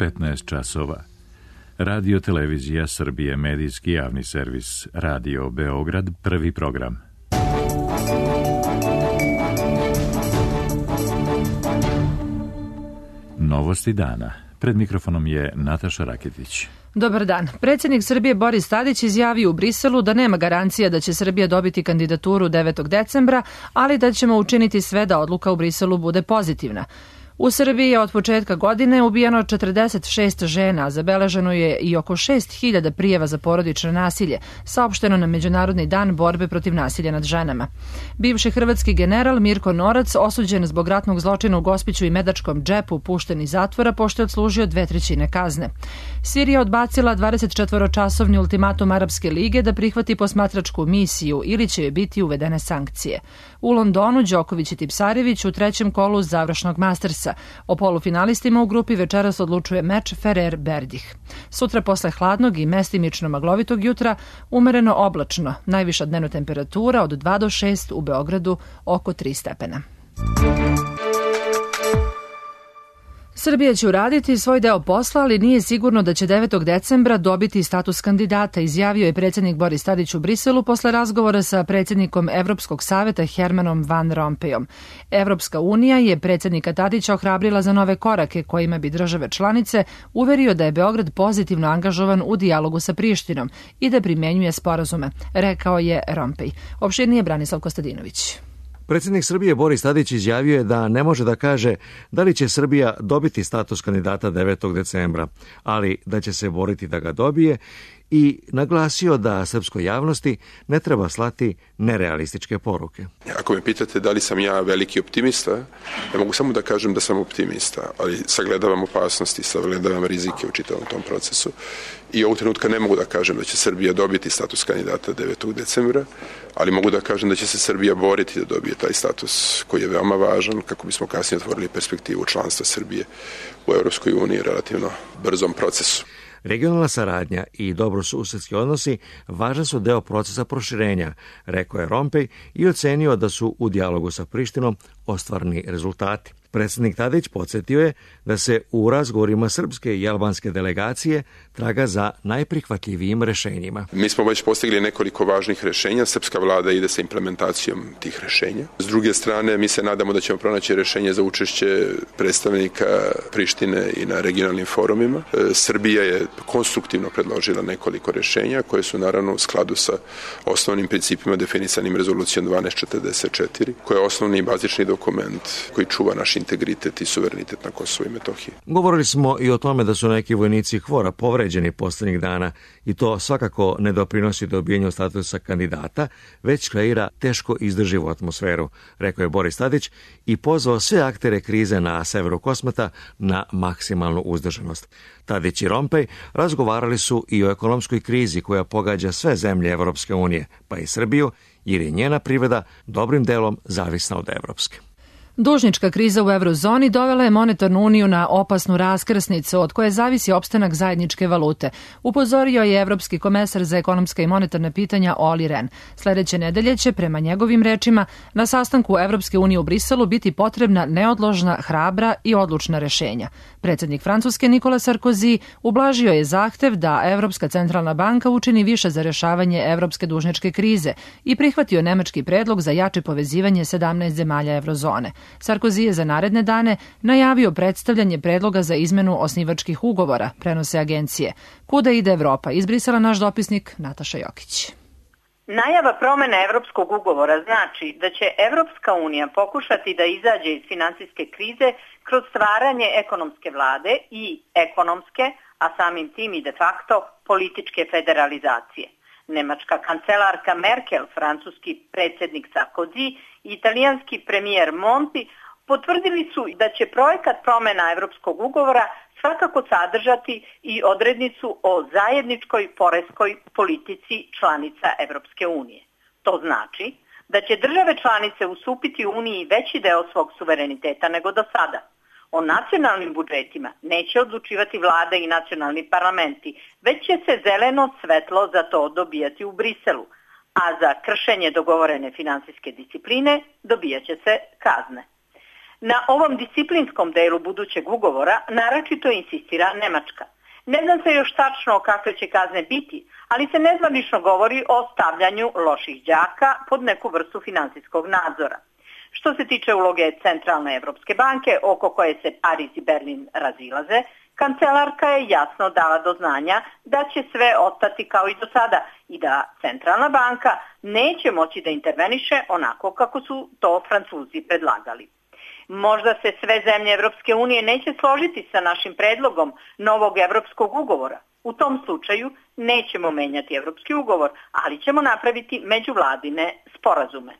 15 časova. Radio Televizija Srbije, medijski javni servis, Radio Beograd, prvi program. Novosti dana. Pred mikrofonom je Nataša Raketić. Dobar dan. Predsjednik Srbije Boris Tadić izjavio u Briselu da nema garancija da će Srbija dobiti kandidaturu 9. decembra, ali da ćemo učiniti sve da odluka u Briselu bude pozitivna. U Srbiji je od početka godine ubijeno 46 žena, a zabeleženo je i oko 6.000 prijava za porodično nasilje, saopšteno na Međunarodni dan borbe protiv nasilja nad ženama. Bivši hrvatski general Mirko Norac, osuđen zbog ratnog zločina u Gospiću i Medačkom džepu, pušten iz zatvora pošto je odslužio 2/3 kazne. Sirija odbacila 24-časovni ultimatum Arapske lige da prihvati posmatračku misiju ili će joj biti uvedene sankcije. U Londonu Đoković i Tipsarević u trećem kolu završnog Mastersa. O polufinalistima u grupi večeras odlučuje meč Ferrer-Berdih. Sutra posle hladnog i mestimično maglovitog jutra umereno oblačno. Najviša dnevna temperatura od 2 do 6 u Beogradu oko 3 stepena. Srbija će uraditi svoj deo posla, ali nije sigurno da će 9. decembra dobiti status kandidata, izjavio je predsjednik Boris Tadić u Briselu posle razgovora sa predsjednikom Evropskog saveta Hermanom Van Rompuyom. Evropska unija je predsjednika Tadića ohrabrila za nove korake kojima bi države članice uverio da je Beograd pozitivno angažovan u dijalogu sa Prištinom i da primenjuje sporazume, rekao je Rompuy. Opširnije Branislav Kostadinović. Predsjednik Srbije Boris Tadić izjavio je da ne može da kaže da li će Srbija dobiti status kandidata 9. decembra, ali da će se boriti da ga dobije i naglasio da srpskoj javnosti ne treba slati nerealističke poruke. Ako me pitate da li sam ja veliki optimista, ja mogu samo da kažem da sam optimista, ali sagledavam opasnosti, sagledavam rizike u čitavom tom procesu i ovog trenutka ne mogu da kažem da će Srbija dobiti status kandidata 9. decembra, ali mogu da kažem da će se Srbija boriti da dobije taj status koji je veoma važan kako bismo kasnije otvorili perspektivu članstva Srbije u Europskoj uniji relativno brzom procesu. Regionalna saradnja i dobrosusedski odnosi važan su deo procesa proširenja, rekao je Rompuy i ocenio da su u dijalogu sa Prištinom ostvareni rezultati. Predsjednik Tadić podsjetio je da se u razgovorima srpske i albanske delegacije traga za najprihvatljivijim rešenjima. Mi smo već postigli nekoliko važnih rešenja, srpska vlada ide sa implementacijom tih rešenja. S druge strane, mi se nadamo da ćemo pronaći rešenje za učešće predstavnika Prištine i na regionalnim forumima. Srbija je konstruktivno predložila nekoliko rešenja koje su naravno u skladu sa osnovnim principima definisanim rezolucijom 1244, koja je osnovni i bazični dokument koji čuva naš integritet i suverenitet na Kosovu i Metohiji. Govorili smo i o tome da su neki vojnici KFOR-a povređeni poslednjih dana i to svakako ne doprinosi dobijenju statusa kandidata, već kreira teško izdrživu atmosferu, rekao je Boris Tadić i pozvao sve aktere krize na severu Kosmeta na maksimalnu uzdržanost. Tadić i Rompuy razgovarali su i o ekonomskoj krizi koja pogađa sve zemlje Evropske unije, pa i Srbiju, jer je njena privreda dobrim delom zavisna od evropske. Dužnička kriza u eurozoni dovela je monetarnu uniju na opasnu raskrsnicu od koje zavisi opstanak zajedničke valute, upozorio je evropski komesar za ekonomska i monetarna pitanja Olli Rehn. Sledeće nedelje će, prema njegovim rečima, na sastanku Evropske unije u Briselu biti potrebna neodložna, hrabra i odlučna rešenja. Predsjednik Francuske Nikola Sarkozy ublažio je zahtev da Evropska centralna banka učini više za rešavanje evropske dužničke krize i prihvatio nemački predlog za jače povezivanje 17 zemalja eurozone. Sarkozy je za naredne dane najavio predstavljanje predloga za izmenu osnivačkih ugovora, prenose agencije. Kuda ide Evropa? Iz Brisela naš dopisnik Nataša Jokić. Najava promene evropskog ugovora znači da će Evropska unija pokušati da izađe iz finansijske krize kroz stvaranje ekonomske vlade i ekonomske, a samim tim i de facto političke federalizacije. Nemačka kancelarka Merkel, francuski predsjednik Sarkozy i italijanski premijer Monti potvrdili su da će projekat promjena evropskog ugovora svakako sadržati i odrednicu o zajedničkoj poreskoj politici članica Evropske unije. To znači da će države članice ustupiti Uniji veći deo svog suvereniteta nego do sada. O nacionalnim budžetima neće odlučivati vlade i nacionalni parlamenti, već će se zeleno svetlo za to dobijati u Briselu, a za kršenje dogovorene finansijske discipline dobijat će se kazne. Na ovom disciplinskom delu budućeg ugovora naročito insistira Nemačka. Ne znam se još tačno kakve će kazne biti, ali se nezvanično govori o stavljanju loših đaka pod neku vrstu finansijskog nadzora. Što se tiče uloge Centralne Evropske banke, oko koje se Pariz i Berlin razilaze, kancelarka je jasno dala do znanja da će sve ostati kao i do sada i da Centralna banka neće moći da interveniše onako kako su to Francuzi predlagali. Možda se sve zemlje Evropske unije neće složiti sa našim predlogom novog evropskog ugovora. U tom slučaju nećemo menjati evropski ugovor, ali ćemo napraviti međuvladine sporazume,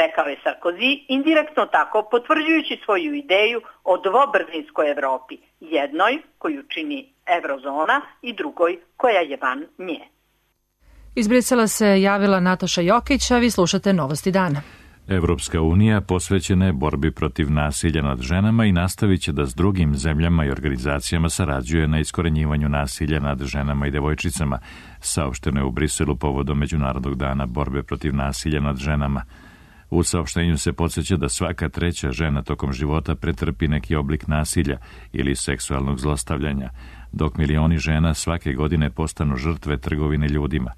rekao je Sarkozy, indirektno tako potvrđujući svoju ideju o dvobrzinskoj Evropi, jednoj koju čini eurozona i drugoj koja je van nje. Iz Brisela se javila Nataša Jokić, a vi slušate Novosti dana. Evropska unija posvećena je borbi protiv nasilja nad ženama i nastavit će da s drugim zemljama i organizacijama sarađuje na iskorenjivanju nasilja nad ženama i devojčicama, saopšteno je u Briselu povodom Međunarodnog dana borbe protiv nasilja nad ženama. U saopštenju se podsjeća da svaka treća žena tokom života pretrpi neki oblik nasilja ili seksualnog zlostavljanja, dok milioni žena svake godine postanu žrtve trgovine ljudima.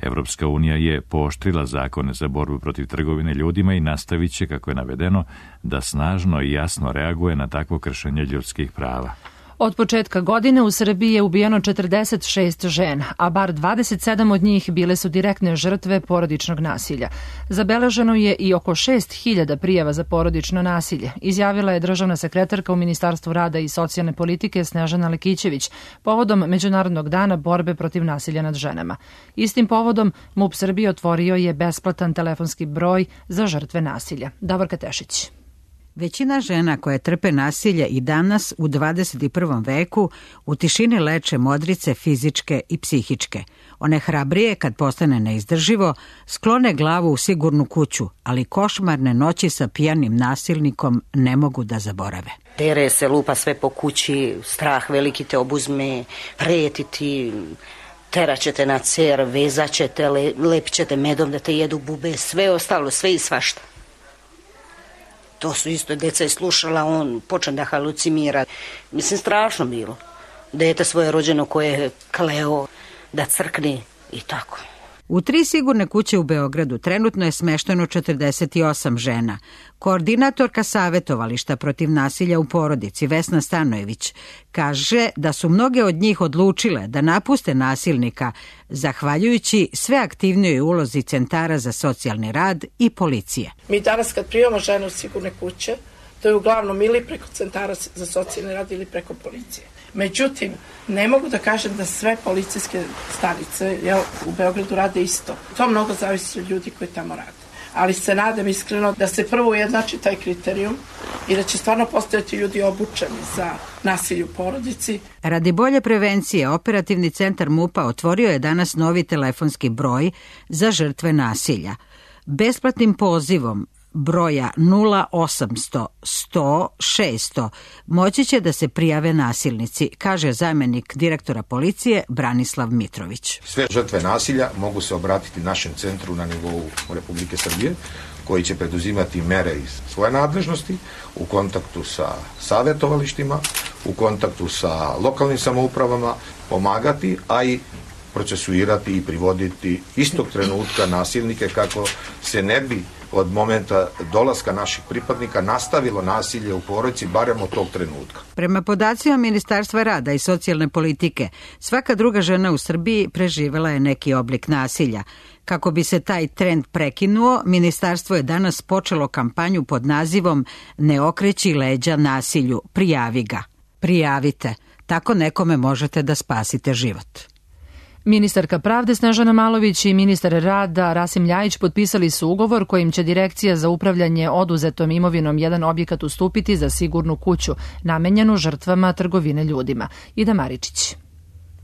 Evropska unija je pooštrila zakone za borbu protiv trgovine ljudima i nastavit će, kako je navedeno, da snažno i jasno reaguje na takvo kršenje ljudskih prava. Od početka godine u Srbiji je ubijeno 46 žena, a bar 27 od njih bile su direktne žrtve porodičnog nasilja. Zabeleženo je i oko 6.000 prijava za porodično nasilje, izjavila je državna sekretarka u Ministarstvu rada i socijalne politike Snežana Lekićević povodom Međunarodnog dana borbe protiv nasilja nad ženama. Istim povodom MUP Srbije otvorio je besplatan telefonski broj za žrtve nasilja. Davorka Tešić. Većina žena koje trpe nasilje i danas u 21. veku u tišini leče modrice fizičke i psihičke. One hrabrije kad postane neizdrživo, sklone glavu u sigurnu kuću, ali košmarne noći sa pijanim nasilnikom ne mogu da zaborave. Tere se, lupa sve po kući, strah veliki te obuzme, preti ti, teraćete na cer, vezaćete, lepćete medom da te jedu bube, sve ostalo, sve i svašta. To su isto, deca je slušala, on počne da halucimira. Mislim, strašno bilo. Dete svoje rođeno koje je kleo da crkne i tako. U 3 sigurne kuće u Beogradu trenutno je smešteno 48 žena. Koordinatorka savjetovališta protiv nasilja u porodici Vesna Stanojević kaže da su mnoge od njih odlučile da napuste nasilnika zahvaljujući sve aktivnijoj ulozi centara za socijalni rad i policije. Mi danas kad primamo žene u sigurne kuće, to je uglavnom ili preko centara za socijalni rad ili preko policije. Međutim, ne mogu da kažem da sve policijske stanice u Beogradu rade isto. To mnogo zavisi od ljudi koji tamo rade. Ali se nadam iskreno da se prvo ujednači taj kriterijum i da će stvarno postojati ljudi obučeni za nasilje u porodici. Radi bolje prevencije, operativni centar MUP-a otvorio je danas novi telefonski broj za žrtve nasilja. Besplatnim pozivom broja 0800 100 600 moći će da se prijave nasilnici, kaže zamjenik direktora policije Branislav Mitrović. Sve žrtve nasilja mogu se obratiti našem centru na nivou Republike Srbije, koji će preduzimati mere iz svoje nadležnosti u kontaktu sa savjetovalištima, u kontaktu sa lokalnim samoupravama, pomagati, a i procesuirati i privoditi istog trenutka nasilnike kako se ne bi od momenta dolaska naših pripadnika nastavilo nasilje u porodici, barem od tog trenutka. Prema podacima Ministarstva rada i socijalne politike, svaka druga žena u Srbiji preživela je neki oblik nasilja. Kako bi se taj trend prekinuo, ministarstvo je danas počelo kampanju pod nazivom Ne okreći leđa nasilju, prijavi ga. Prijavite, tako nekome možete da spasite život. Ministarka pravde Snežana Malović i ministar rada Rasim Ljajić potpisali su ugovor kojim će Direkcija za upravljanje oduzetom imovinom jedan objekat ustupiti za sigurnu kuću, namenjenu žrtvama trgovine ljudima. Ida Maričić.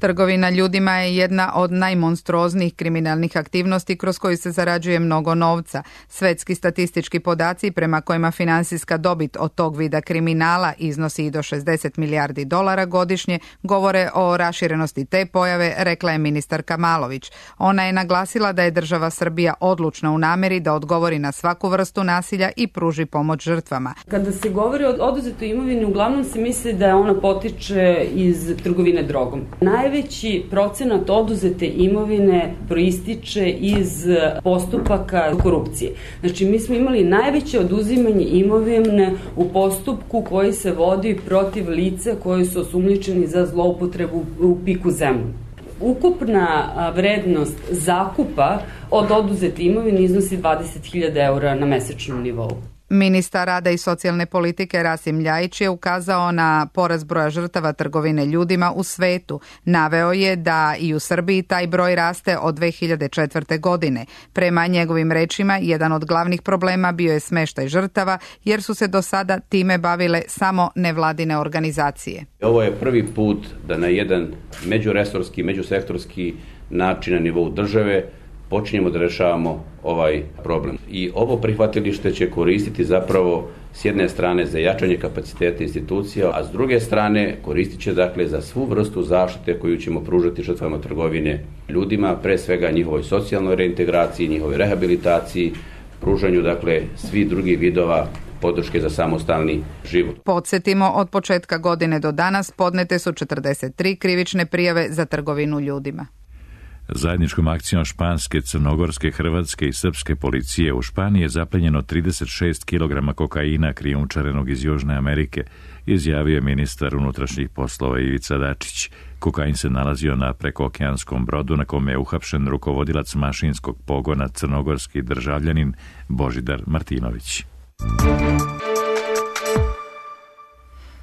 Trgovina ljudima je jedna od najmonstruoznijih kriminalnih aktivnosti kroz koju se zarađuje mnogo novca. Svetski statistički podaci prema kojima finansijska dobit od tog vida kriminala iznosi i do $60 milijardi godišnje govore o raširenosti te pojave, rekla je ministarka Malović. Ona je naglasila da je država Srbija odlučna u nameri da odgovori na svaku vrstu nasilja i pruži pomoć žrtvama. Kada se govori o oduzetoj imovini, uglavnom se misli da ona potiče iz trgovine drogom. Najveći procenat oduzete imovine proističe iz postupaka korupcije. Znači, mi smo imali najveće oduzimanje imovine u postupku koji se vodi protiv lica koji su osumnjičeni za zloupotrebu u piku zemlju. Ukupna vrednost zakupa od oduzete imovine iznosi 20.000 eura na mesečnom nivou. Ministar rada i socijalne politike Rasim Ljajić je ukazao na porast broja žrtava trgovine ljudima u svetu. Naveo je da i u Srbiji taj broj raste od 2004. godine. Prema njegovim rečima, jedan od glavnih problema bio je smeštaj žrtava, jer su se do sada time bavile samo nevladine organizacije. Ovo je prvi put da na jedan međuresorski, međusektorski način na nivou države počinjemo da rešavamo ovaj problem. I ovo prihvatilište će koristiti zapravo s jedne strane za jačanje kapaciteta institucija, a s druge strane koristit će dakle za svu vrstu zaštite koju ćemo pružati žrtvama trgovine ljudima, pre svega njihovoj socijalnoj reintegraciji, njihovoj rehabilitaciji, pružanju dakle svih drugih vidova podrške za samostalni život. Podsjetimo, od početka godine do danas podnete su 43 krivične prijave za trgovinu ljudima. Zajedničkom akcijom španske, crnogorske, hrvatske i srpske policije u Španiji je zaplenjeno 36 kg kokaina krijumčarenog iz Južne Amerike, izjavio je ministar unutrašnjih poslova Ivica Dačić. Kokain se nalazio na prekookeanskom brodu na kome je uhapšen rukovodilac mašinskog pogona crnogorski državljanin Božidar Martinović.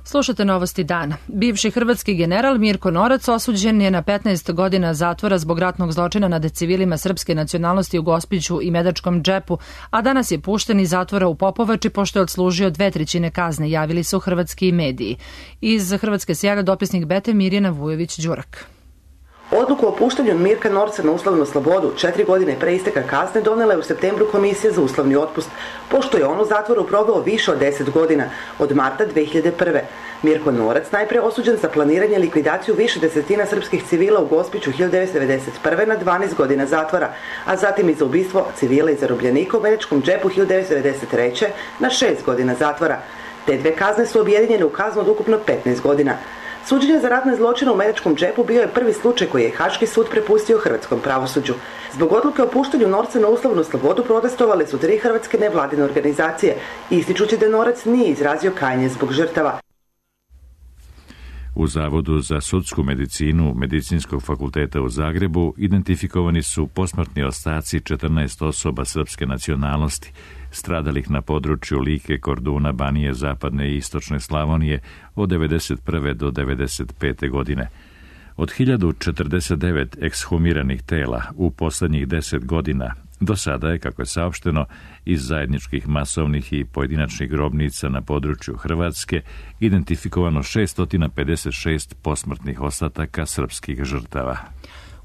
Slušate novosti dana. Bivši hrvatski general Mirko Norac osuđen je na 15 godina zatvora zbog ratnog zločina nad civilima srpske nacionalnosti u Gospiću i Medačkom džepu, a danas je pušten iz zatvora u Popovači pošto je odslužio 2/3 kazne, javili su hrvatski mediji. Iz Hrvatske se javlja dopisnik Bete Mirjana Vujović-Đurak. Odluku o puštanju Mirka Norca na uslovnu slobodu 4 godine pre isteka kazne donela je u septembru Komisija za uslovni otpust, pošto je on u zatvoru proveo više od 10 godina, od marta 2001. Mirko Norac najpre osuđen za planiranje i likvidaciju više desetina srpskih civila u Gospiću 1991. na 12 godina zatvora, a zatim i za ubistvo civila i zarobljenika u Medačkom džepu 1993. na 6 godina zatvora. Te dve kazne su objedinjene u kaznu od ukupno 15 godina. Suđenje za ratne zločine u Medačkom džepu bio je prvi slučaj koji je Haški sud prepustio hrvatskom pravosuđu. Zbog odluke o puštanju Norca na uslovnu slobodu protestovale su 3 hrvatske nevladine organizacije, ističući da Norac nije izrazio kajanje zbog žrtava. U Zavodu za sudsku medicinu Medicinskog fakulteta u Zagrebu identifikovani su posmrtni ostaci 14 osoba srpske nacionalnosti, stradalih na području Like, Korduna, Banije, Zapadne i Istočne Slavonije od 1991. do 1995. godine. Od 1049 ekshumiranih tela u poslednjih 10 godina do sada je, kako je saopšteno, iz zajedničkih masovnih i pojedinačnih grobnica na području Hrvatske identifikovano 656 posmrtnih ostataka srpskih žrtava.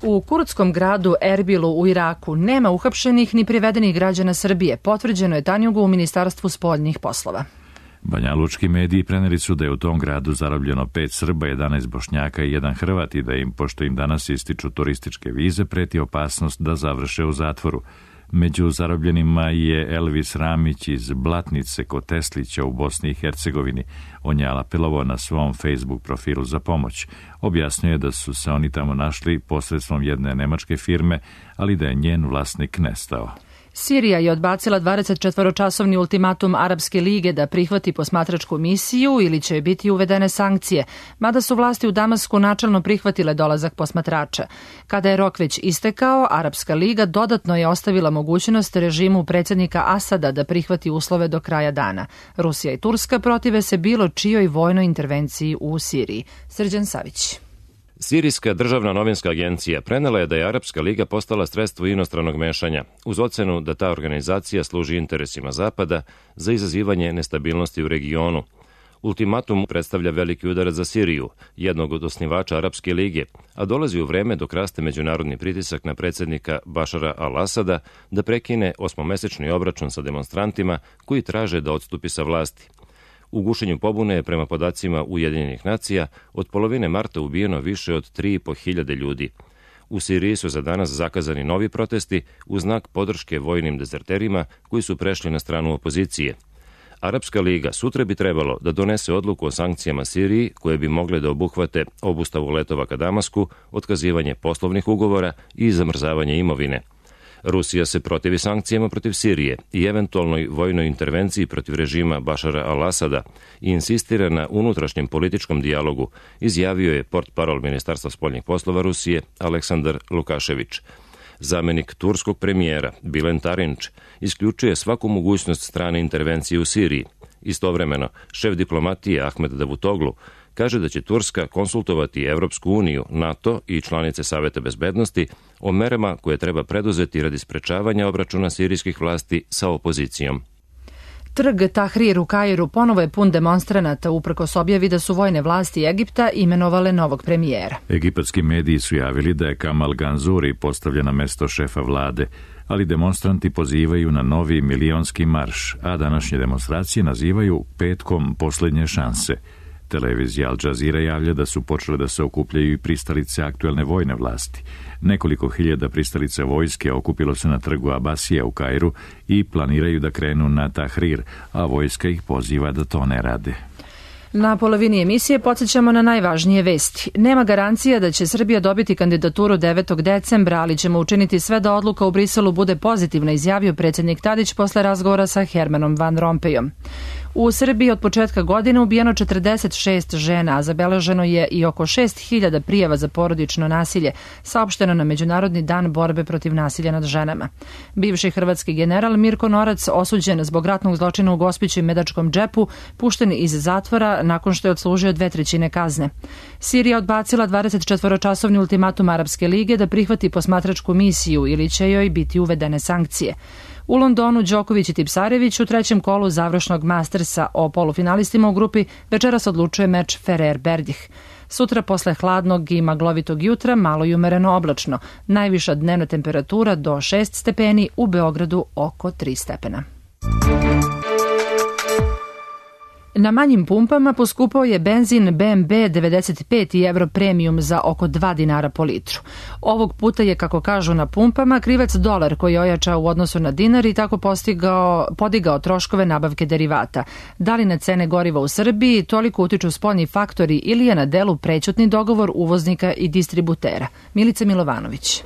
U kurdskom gradu Erbilu u Iraku nema uhapšenih ni privedenih građana Srbije, potvrđeno je Tanjugu u Ministarstvu spoljnih poslova. Banjalučki mediji preneli su da je u tom gradu zarobljeno 5 Srba, 11 Bošnjaka i 1 Hrvat i da im, pošto im danas ističu turističke vize, preti opasnost da završe u zatvoru. Među zarobljenima je Elvis Ramić iz Blatnice kod Teslića u Bosni i Hercegovini. On je apelovao na svom Facebook profilu za pomoć. Objasnio je da su se oni tamo našli posredstvom jedne nemačke firme, ali da je njen vlasnik nestao. Sirija je odbacila 24-časovni ultimatum Arapske lige da prihvati posmatračku misiju ili će biti uvedene sankcije, mada su vlasti u Damasku načelno prihvatile dolazak posmatrača. Kada je rok već istekao, Arapska liga dodatno je ostavila mogućnost režimu predsjednika Asada da prihvati uslove do kraja dana. Rusija i Turska protive se bilo čijoj vojnoj intervenciji u Siriji. Srđan Savić. Sirijska državna novinska agencija prenela je da je Arapska liga postala sredstvo inostranog mešanja, uz ocenu da ta organizacija služi interesima Zapada za izazivanje nestabilnosti u regionu. Ultimatum predstavlja veliki udarac za Siriju, jednog od osnivača Arapske lige, a dolazi u vreme dok raste međunarodni pritisak na predsjednika Bašara al-Asada da prekine 8-mesečni obračun sa demonstrantima koji traže da odstupi sa vlasti. U gušenju pobune je prema podacima Ujedinjenih nacija od polovine marta ubijeno više od 3.500 ljudi. U Siriji su za danas zakazani novi protesti u znak podrške vojnim dezerterima koji su prešli na stranu opozicije. Arapska liga sutra bi trebalo da donese odluku o sankcijama Siriji koje bi mogle da obuhvate obustavu letova ka Damasku, otkazivanje poslovnih ugovora i zamrzavanje imovine. Rusija se protivi sankcijama protiv Sirije i eventualnoj vojnoj intervenciji protiv režima Bašara al-Asada i insistira na unutrašnjem političkom dijalogu, izjavio je portparol Ministarstva spoljnih poslova Rusije Aleksandar Lukašević. Zamenik turskog premijera Bilen Tarinč isključuje svaku mogućnost strane intervencije u Siriji. Istovremeno, šef diplomatije Ahmed Davutoglu kaže da će Turska konsultovati Evropsku uniju, NATO i članice Saveta bezbednosti o merama koje treba preduzeti radi sprečavanja obračuna sirijskih vlasti sa opozicijom. Trg Tahrir u Kairu ponovo je pun demonstranata uprkos objavi da su vojne vlasti Egipta imenovale novog premijera. Egipatski mediji su javili da je Kamal Ganzuri postavljen na mesto šefa vlade, ali demonstranti pozivaju na novi milionski marš, a današnje demonstracije nazivaju petkom posljednje šanse. Televizija Al Jazeera javlja da su počele da se okupljaju i pristalice aktuelne vojne vlasti. Nekoliko hiljada pristalice vojske okupilo se na trgu Abasija u Kairu i planiraju da krenu na Tahrir, a vojska ih poziva da to ne rade. Na polovini emisije podsjećamo na najvažnije vesti. Nema garancija da će Srbija dobiti kandidaturu 9. decembra, ali ćemo učiniti sve da odluka u Briselu bude pozitivna, izjavio predsjednik Tadić posle razgovora sa Hermanom Van Rompuyom. U Srbiji od početka godine ubijeno 46 žena, a zabeleženo je i oko 6.000 prijava za porodično nasilje, saopšteno na Međunarodni dan borbe protiv nasilja nad ženama. Bivši hrvatski general Mirko Norac, osuđen zbog ratnog zločina u Gospiću i Medačkom džepu, pušten iz zatvora nakon što je odslužio 2/3 kazne. Sirija odbacila 24-časovni ultimatum Arapske lige da prihvati posmatračku misiju ili će joj biti uvedene sankcije. U Londonu Đoković i Tipsarević u trećem kolu završnog Mastersa o polufinalistima u grupi večeras odlučuje meč Ferrer-Berdih. Sutra posle hladnog i maglovitog jutra malo i umereno oblačno. Najviša dnevna temperatura do 6 stepeni, u Beogradu oko 3 stepena. Na manjim pumpama poskupao je benzin BMB 95 i Euro Premium za oko 2 dinara po litru. Ovog puta je, kako kažu na pumpama, krivac dolar koji je ojačao u odnosu na dinar i tako podigao troškove nabavke derivata. Da li na cene goriva u Srbiji toliko utiču spoljni faktori ili je na delu prećutni dogovor uvoznika i distributera? Milica Milovanović.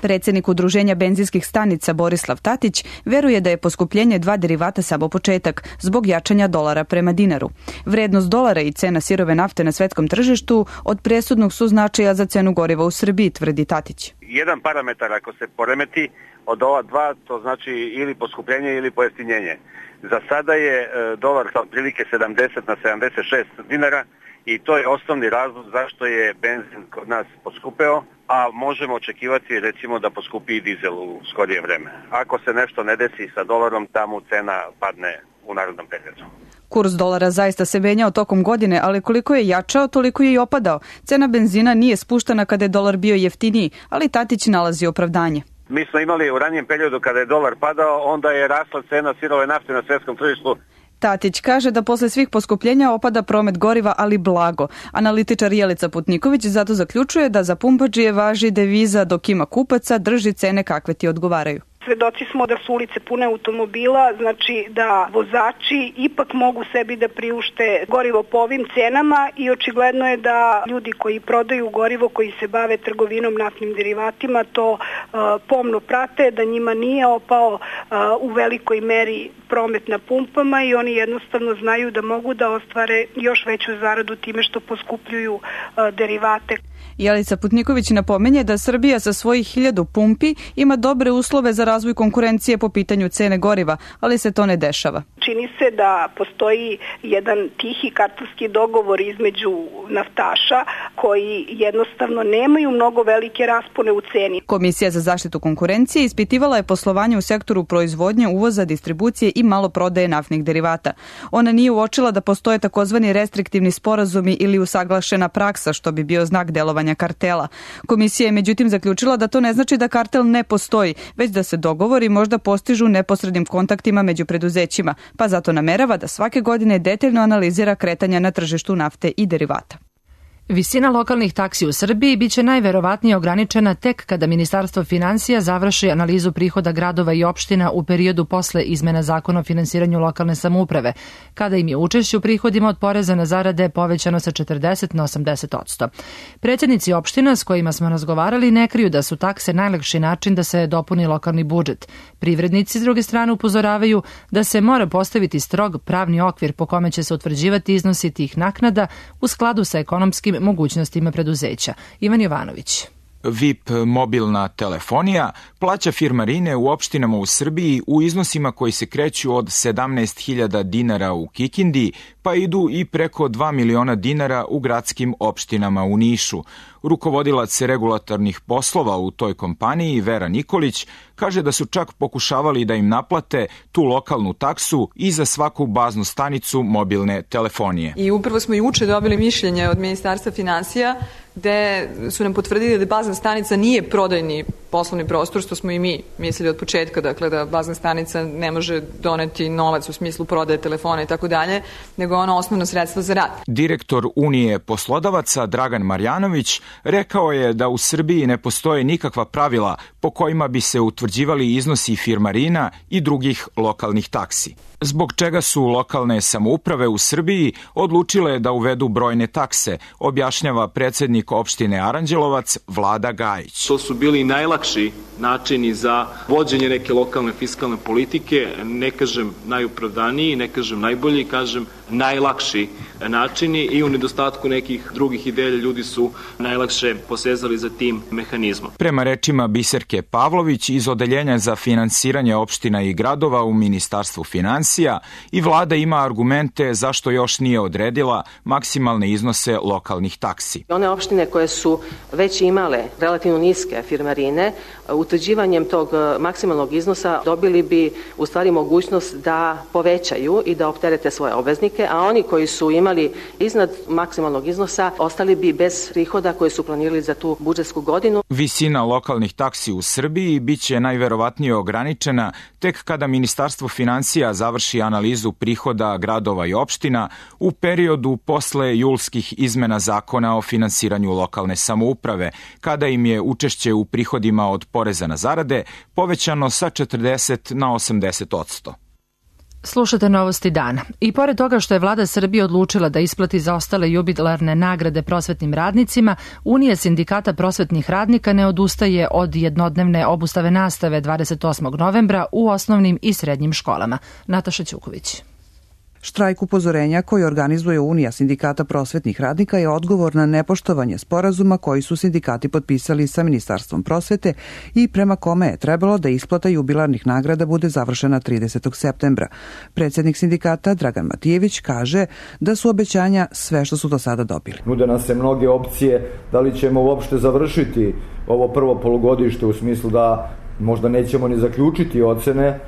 Predsjednik Udruženja benzinskih stanica Borislav Tatić veruje da je poskupljenje 2 derivata samo početak zbog jačanja dolara prema dinaru. Vrednost dolara i cena sirove nafte na svetskom tržištu od presudnog su značaja za cenu goriva u Srbiji, tvrdi Tatić. Jedan parametar ako se poremeti od ova dva, to znači ili poskupljenje ili pojeftinjenje. Za sada je dolar otprilike 70 na 76 dinara i to je osnovni razlog zašto je benzin kod nas poskupeo, a možemo očekivati recimo da poskupi i dizel u skorije vreme. Ako se nešto ne desi sa dolarom, tamo cena padne u narodnom periodu. Kurs dolara zaista se menjao tokom godine, ali koliko je jačao, toliko je i opadao. Cena benzina nije spuštana kada je dolar bio jeftiniji, ali Tatić nalazi opravdanje. Mi smo imali u ranijem periodu kada je dolar padao, onda je rasla cena sirove nafte na svjetskom tržištu. Tatić kaže da posle svih poskupljenja opada promet goriva, ali blago. Analitičar Jelica Putniković zato zaključuje da za pumpađije važi deviza dok ima kupaca, drži cene kakve ti odgovaraju. Svedoci smo da su ulice pune automobila, znači da vozači ipak mogu sebi da priušte gorivo po ovim cenama i očigledno je da ljudi koji prodaju gorivo, koji se bave trgovinom naftnim derivatima, to pomno prate, da njima nije opao u velikoj meri promet na pumpama i oni jednostavno znaju da mogu da ostvare još veću zaradu time što poskupljuju derivate. Jelica Putniković napominje da Srbija sa svojih 1000 pumpi ima dobre uslove za razvoj konkurencije po pitanju cene goriva, ali se to ne dešava. Čini se da postoji jedan tihi kartelski dogovor između naftaša koji jednostavno nemaju mnogo velike raspone u ceni. Komisija za zaštitu konkurencije ispitivala je poslovanje u sektoru proizvodnje, uvoza, distribucije i maloprodaje naftnih derivata. Ona nije uočila da postoje takozvani restriktivni sporazumi ili usaglašena praksa, što bi bio znak delovanja kartela. Komisija je međutim zaključila da to ne znači da kartel ne postoji, već da se dogovori možda postižu neposrednim kontaktima među preduzećima, pa zato namerava da svake godine detaljno analizira kretanja na tržištu nafte i derivata. Visina lokalnih taksi u Srbiji biće najverovatnije ograničena tek kada Ministarstvo finansija završi analizu prihoda gradova i opština u periodu posle izmena Zakona o finansiranju lokalne samouprave, kada im je učešće u prihodima od poreza na zarade povećano sa 40 na 80%. Predsjednici opština s kojima smo razgovarali ne kriju da su takse najlakši način da se dopuni lokalni budžet. Privrednici s druge strane upozoravaju da se mora postaviti strog pravni okvir po kome će se utvrđivati iznosi tih naknada u skladu sa ekonomskim mogućnostima preduzeća. Ivan Jovanović. VIP mobilna telefonija plaća firmarine u opštinama u Srbiji u iznosima koji se kreću od 17.000 dinara u Kikindi, pa idu i preko 2 miliona dinara u gradskim opštinama u Nišu. Rukovodilac regulatornih poslova u toj kompaniji, Vera Nikolić, kaže da su čak pokušavali da im naplate tu lokalnu taksu i za svaku baznu stanicu mobilne telefonije. I upravo smo juče dobili mišljenje od Ministarstva finansija gde su nam potvrdili da bazna stanica nije prodajni poslovni prostor, što smo i mi mislili od početka, dakle da bazna stanica ne može doneti novac u smislu prodaje telefona i tako dalje, nego ono osnovno sredstvo za rad. Direktor Unije poslodavaca Dragan Marjanović rekao je da u Srbiji ne postoje nikakva pravila po kojima bi se utvrđivali iznosi firmarina i drugih lokalnih taksi. Zbog čega su lokalne samouprave u Srbiji odlučile da uvedu brojne takse, objašnjava predsjednik opštine Aranđelovac Vlada Gajić. To su bili najlakši načini za vođenje neke lokalne fiskalne politike, ne kažem najupravdaniji, ne kažem najbolji, kažem najlakši načini i u nedostatku nekih drugih ideja ljudi su najlakše posezali za tim mehanizmom. Prema rečima Biserke Pavlović iz Odeljenja za finansiranje opština i gradova u Ministarstvu finansija, i vlada ima argumente zašto još nije odredila maksimalne iznose lokalnih taksi. One opštine koje su već imale relativno niske firmarine, utvrđivanjem tog maksimalnog iznosa dobili bi u stvari mogućnost da povećaju i da opterete svoje obveznike, a oni koji su imali iznad maksimalnog iznosa ostali bi bez prihoda koje su planirali za tu budžetsku godinu. Visina lokalnih taksi u Srbiji biće najverovatnije ograničena tek kada Ministarstvo finansija završi analizu prihoda gradova i opština u periodu posle julskih izmena Zakona o finansiranju lokalne samouprave, kada im je učešće u prihodima od poreza na zarade povećano sa 40 na 80%. Slušate Novosti dana. I pored toga što je vlada Srbije odlučila da isplati zaostale jubilarne nagrade prosvetnim radnicima, Unija sindikata prosvetnih radnika ne odustaje od jednodnevne obustave nastave 28. novembra u osnovnim i srednjim školama. Nataša Ćuković. Štrajk upozorenja koji organizuje Unija sindikata prosvetnih radnika je odgovor na nepoštovanje sporazuma koji su sindikati potpisali sa Ministarstvom prosvete i prema kome je trebalo da isplata jubilarnih nagrada bude završena 30. septembra. Predsjednik sindikata Dragan Matijević kaže da su obećanja sve što su do sada dobili. Nude nam se mnoge opcije da li ćemo uopšte završiti ovo prvo polugodište u smislu da možda nećemo ni zaključiti ocene.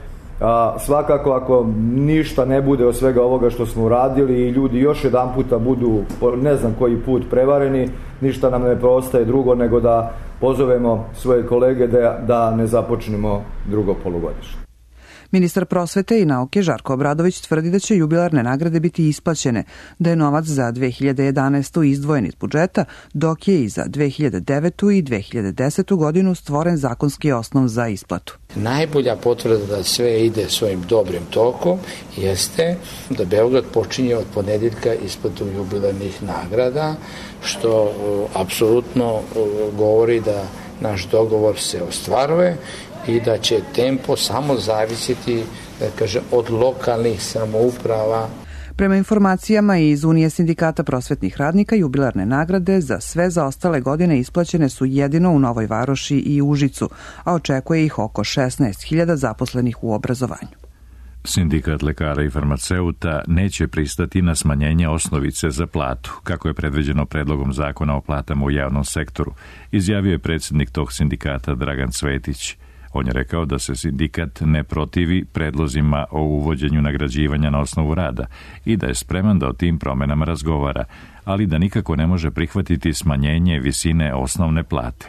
Svakako ako ništa ne bude od svega ovoga što smo uradili i ljudi još jedan puta budu ne znam koji put prevareni, ništa nam ne preostaje drugo nego da pozovemo svoje kolege da ne započnemo drugo polugodište. Ministar prosvete i nauke Žarko Obradović tvrdi da će jubilarne nagrade biti isplaćene, da je novac za 2011. izdvojen iz budžeta, dok je i za 2009. i 2010. godinu stvoren zakonski osnov za isplatu. Najbolja potvrda da sve ide svojim dobrim tokom jeste da Beograd počinje od ponedeljka isplatu jubilarnih nagrada, što apsolutno govori da naš dogovor se ostvaruje i da će tempo samo zavisiti, da kažem, od lokalnih samouprava. Prema informacijama iz Unije sindikata prosvetnih radnika, jubilarne nagrade za sve zaostale godine isplaćene su jedino u Novoj Varoši i Užicu, a očekuje ih oko 16.000 zaposlenih u obrazovanju. Sindikat lekara i farmaceuta neće pristati na smanjenje osnovice za platu, kako je predviđeno predlogom zakona o platama u javnom sektoru, izjavio je predsjednik tog sindikata Dragan Cvetić. On je rekao da se sindikat ne protivi predlozima o uvođenju nagrađivanja na osnovu rada i da je spreman da o tim promenama razgovara, ali da nikako ne može prihvatiti smanjenje visine osnovne plate.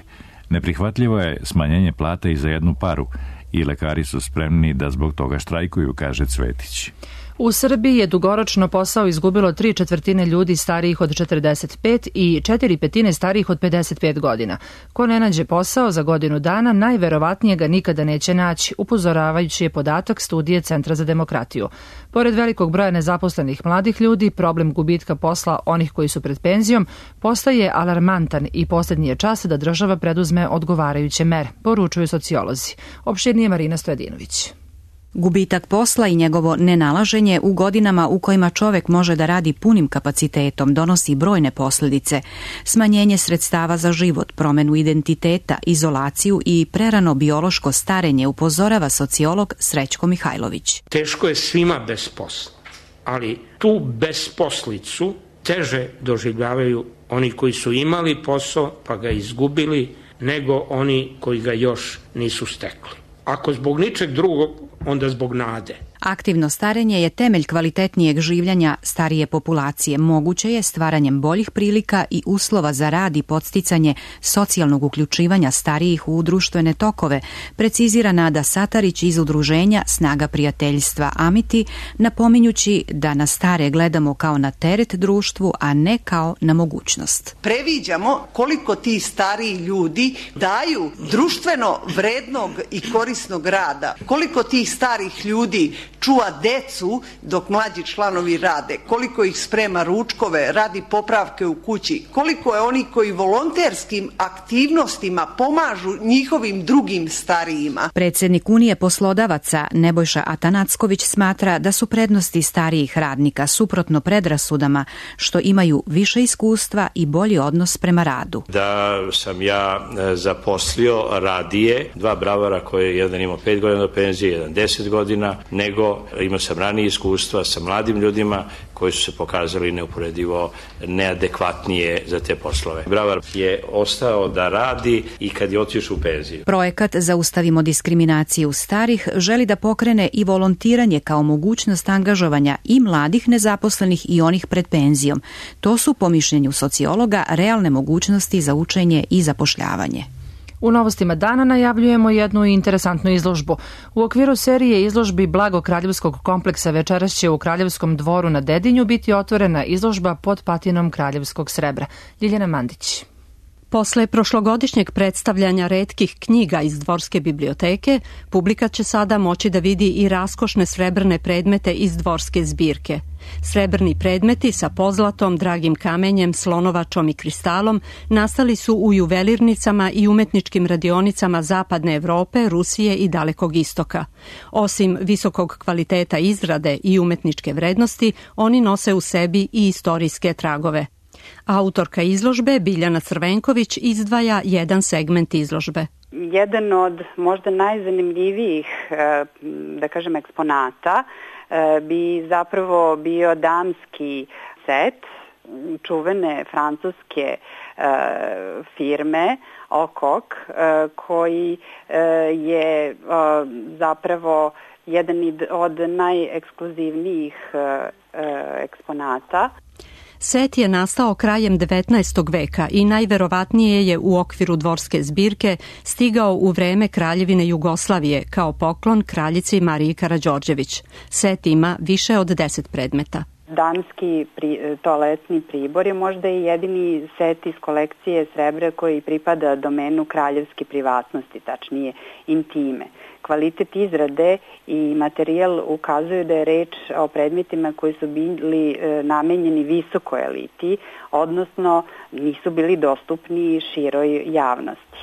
Neprihvatljivo je smanjenje plate i za jednu paru i lekari su spremni da zbog toga štrajkuju, kaže Cvetić. U Srbiji je dugoročno posao izgubilo 3/4 ljudi starijih od 45 i 4/5 starijih od 55 godina. Ko ne nađe posao za godinu dana, najverovatnije ga nikada neće naći, upozoravajući je podatak studije Centra za demokratiju. Pored velikog broja nezaposlenih mladih ljudi, problem gubitka posla onih koji su pred penzijom postaje alarmantan i posljednji je čas da država preduzme odgovarajuće mere, poručuju sociolozi. Opširnije Marina Stojadinović. Gubitak posla i njegovo nenalaženje u godinama u kojima čovek može da radi punim kapacitetom donosi brojne posljedice. Smanjenje sredstava za život, promenu identiteta, izolaciju i prerano biološko starenje, upozorava sociolog Srećko Mihajlović. Teško je svima bez posla, ali tu besposlicu teže doživljavaju oni koji su imali posao pa ga izgubili, nego oni koji ga još nisu stekli. Ako zbog ničeg drugog, onda zbog nade. Aktivno starenje je temelj kvalitetnijeg življenja starije populacije. Moguće je stvaranjem boljih prilika i uslova za rad i podsticanje socijalnog uključivanja starijih u društvene tokove, precizira Nada Satarić iz udruženja Snaga prijateljstva Amiti, napominjući da na stare gledamo kao na teret društvu, a ne kao na mogućnost. Previđamo koliko ti stariji ljudi daju društveno vrednog i korisnog rada, koliko tih starih ljudi čuva decu dok mlađi članovi rade, koliko ih sprema ručkove, radi popravke u kući, koliko je oni koji volonterskim aktivnostima pomažu njihovim drugim starijima. Predsjednik Unije poslodavaca Nebojša Atanacković smatra da su prednosti starijih radnika suprotno predrasudama što imaju više iskustva i bolji odnos prema radu. Da sam ja zaposlio radije dva bravara koje jedan imao 5 godina do penzije, jedan 10 godina, nego imao sam ranije iskustva sa mladim ljudima koji su se pokazali neuporedivo neadekvatnije za te poslove. Bravar je ostao da radi i kad je otišao u penziju. Projekat Zaustavimo diskriminaciju starih želi da pokrene i volontiranje kao mogućnost angažovanja i mladih nezaposlenih i onih pred penzijom. To su, po mišljenju sociologa, realne mogućnosti za učenje i zapošljavanje. U novostima dana najavljujemo jednu interesantnu izložbu. U okviru serije izložbi Blago kraljevskog kompleksa večeras će u Kraljevskom dvoru na Dedinju biti otvorena izložba pod patinom kraljevskog srebra. Ljiljana Mandić. Posle prošlogodišnjeg predstavljanja retkih knjiga iz Dvorske biblioteke, publika će sada moći da vidi i raskošne srebrne predmete iz Dvorske zbirke. Srebrni predmeti sa pozlatom, dragim kamenjem, slonovačom i kristalom nastali su u juvelirnicama i umetničkim radionicama Zapadne Evrope, Rusije i Dalekog istoka. Osim visokog kvaliteta izrade i umetničke vrednosti, oni nose u sebi i istorijske tragove. Autorka izložbe Biljana Crvenković izdvaja jedan segment izložbe. Jedan od možda najzanimljivijih, da kažem, eksponata bi zapravo bio damski set čuvene francuske firme Okok, koji je zapravo jedan od najekskluzivnijih eksponata. Set je nastao krajem 19. veka i najverovatnije je u okviru Dvorske zbirke stigao u vreme Kraljevine Jugoslavije kao poklon kraljici Mariji Karađorđević. Set ima više od 10 predmeta. Damski toaletni pribor je možda i jedini set iz kolekcije srebra koji pripada domenu kraljevske privatnosti, tačnije intime. Kvalitet izrade i materijal ukazuju da je reč o predmetima koji su bili namenjeni visokoj eliti, odnosno nisu bili dostupni široj javnosti.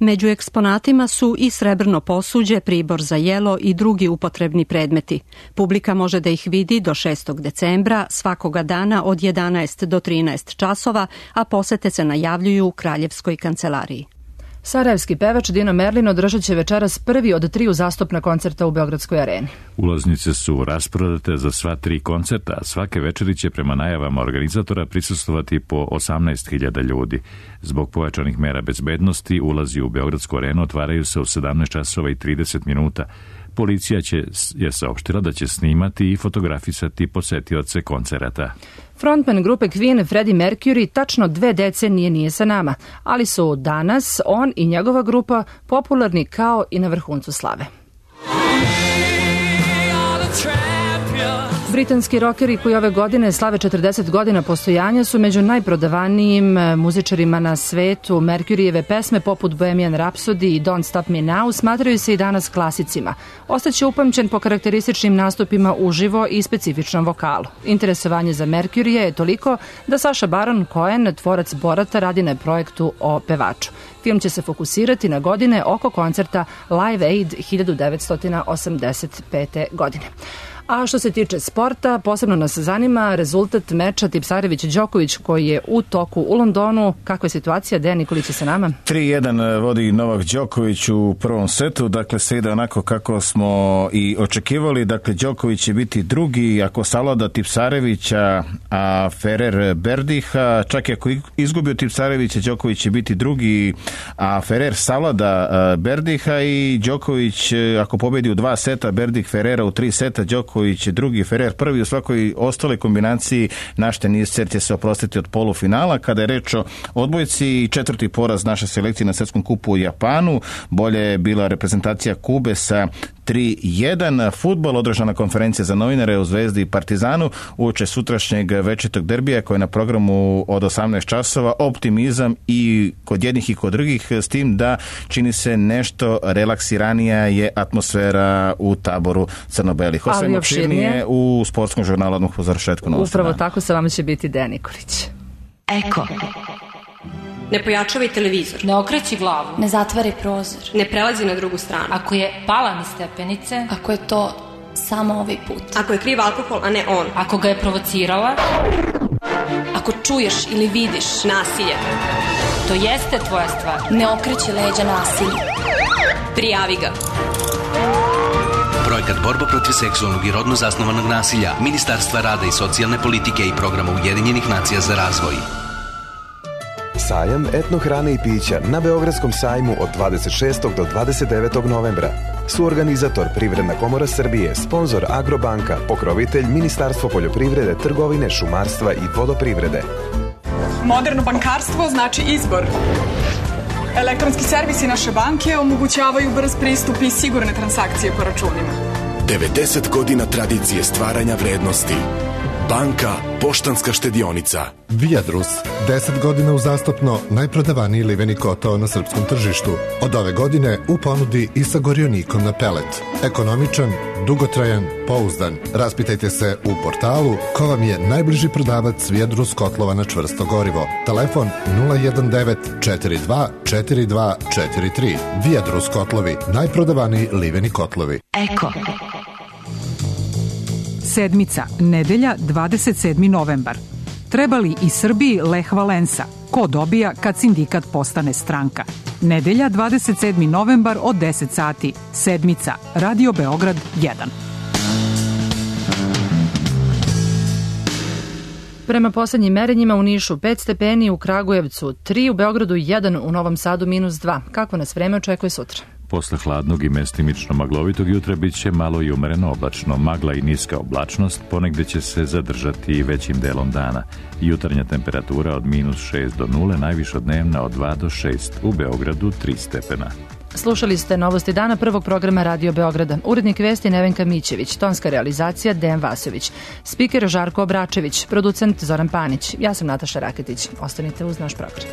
Među eksponatima su i srebrno posuđe, pribor za jelo i drugi upotrebni predmeti. Publika može da ih vidi do 6. decembra, svakoga dana od 11 do 13 časova, a posete se najavljuju u Kraljevskoj kancelariji. Sarajevski pevač Dino Merlin održat će večeras prvi od 3 uzastopna koncerta u Beogradskoj areni. Ulaznice su rasprodate za sva 3 koncerta, a svake večeri će prema najavama organizatora prisustvovati po 18.000 ljudi. Zbog pojačanih mera bezbednosti, ulazi u Beogradsku arenu otvaraju se u 17 časova i 30 minuta. Policija je saopštila da će snimati i fotografisati posetioce koncerata. Frontman grupe Queen Freddie Mercury tačno 2 decenije nije sa nama, ali su danas on i njegova grupa popularni kao i na vrhuncu slave. Britanski rokeri koji ove godine slave 40 godina postojanja su među najprodavanijim muzičarima na svetu. Mercuryjeve pesme poput Bohemian Rhapsody i Don't Stop Me Now smatraju se i danas klasicima. Ostaće upamćen po karakterističnim nastupima uživo i specifičnom vokalu. Interesovanje za Mercuryja je toliko da Saša Baron Cohen, tvorac Borata, radi na projektu o pevaču. Film će se fokusirati na godine oko koncerta Live Aid 1985. godine. A što se tiče sporta, posebno nas zanima rezultat meča Tipsarević-Đoković koji je u toku u Londonu. Kakva je situacija? Dejan Nikolić je sa nama. 3-1 vodi Novak Đoković u prvom setu, dakle sve ide onako kako smo i očekivali. Dakle, Đoković će biti drugi ako savlada Tipsarevića, a Ferrer Berdiha. Čak i ako izgubio Tipsarevića, Đoković će biti drugi, a Ferrer savlada Berdiha i Đoković ako pobedi u 2 seta, Berdih Ferrera u 3 seta, Đoković drugi, Ferrer prvi. U svakoj ostale kombinaciji naš teniser će se oprostiti od polufinala. Kada je reč o odbojci, 4. poraz naše selekcije na svetskom kupu u Japanu. Bolje je bila reprezentacija Kube sa 3-1. Fudbal, održana konferencija za novinare u Zvezdi i Partizanu uoče sutrašnjeg večitog derbija koji je na programu od 18 časova. Optimizam i kod jednih i kod drugih, s tim da čini se nešto relaksiranija je atmosfera u taboru crno-belih. Osvajmo opširnije u sportskom žurnalu odmah po završetku novosti. Upravo tako sa vama će biti Dejan Nikolić. Eko. Ne pojačavaj televizor. Ne okreći glavu. Ne zatvari prozor. Ne prelazi na drugu stranu. Ako je pala niz stepenice. Ako je to samo ovaj put. Ako je kriv alkohol, a ne on. Ako ga je provocirala. Ako čuješ ili vidiš nasilje. To jeste tvoja stvar. Ne okreći leđa nasilju. Prijavi ga. Projekat Borba protiv seksualnog i rodno zasnovanog nasilja Ministarstva rada i socijalne politike i Programa Ujedinjenih nacija za razvoj. Sajam etnohrane i pića na Beogradskom sajmu od 26. do 29. novembra. Suorganizator Privredna komora Srbije, sponzor Agrobanka, pokrovitelj Ministarstvo poljoprivrede, trgovine, šumarstva i vodoprivrede. Moderno bankarstvo znači izbor. Elektronski servisi naše banke omogućavaju brz pristup i sigurne transakcije po računima. 90 godina tradicije stvaranja vrednosti. Banka Poštanska štedionica. Viadrus, 10 godina uzastopno najprodavaniji liveni kotao na srpskom tržištu. Od ove godine u ponudi i sa gorionikom na pelet. Ekonomičan, dugotrajan, pouzdan. Raspitajte se u portalu ko vam je najbliži prodavac Viadrus kotlova na čvrsto gorivo. Telefon 019 42 42 43. Viadrus kotlovi, najprodavaniji liveni kotlovi. Eko. Sedmica, nedelja, 27. novembar. Treba li i Srbiji Lech Valensa? Ko dobija kad sindikat postane stranka? Nedelja, 27. novembar od 10 sati. Sedmica, Radio Beograd 1. Prema poslednjim merenjima u Nišu 5 stepeni, u Kragujevcu 3, u Beogradu 1, u Novom Sadu -2. Kako nas vreme očekuje sutra? Posle hladnog i mestimično maglovitog jutra bit će malo i umereno oblačno. Magla i niska oblačnost ponegde će se zadržati i većim delom dana. Jutarnja temperatura od -6 do 0, najviša dnevna od 2 do 6, u Beogradu 3 stepena. Slušali ste novosti dana prvog programa Radio Beograda. Urednik vesti Nevenka Mićević, tonska realizacija Dejan Vasović, spiker Žarko Obračević, producent Zoran Panić. Ja sam Nataša Raketić. Ostanite uz naš program.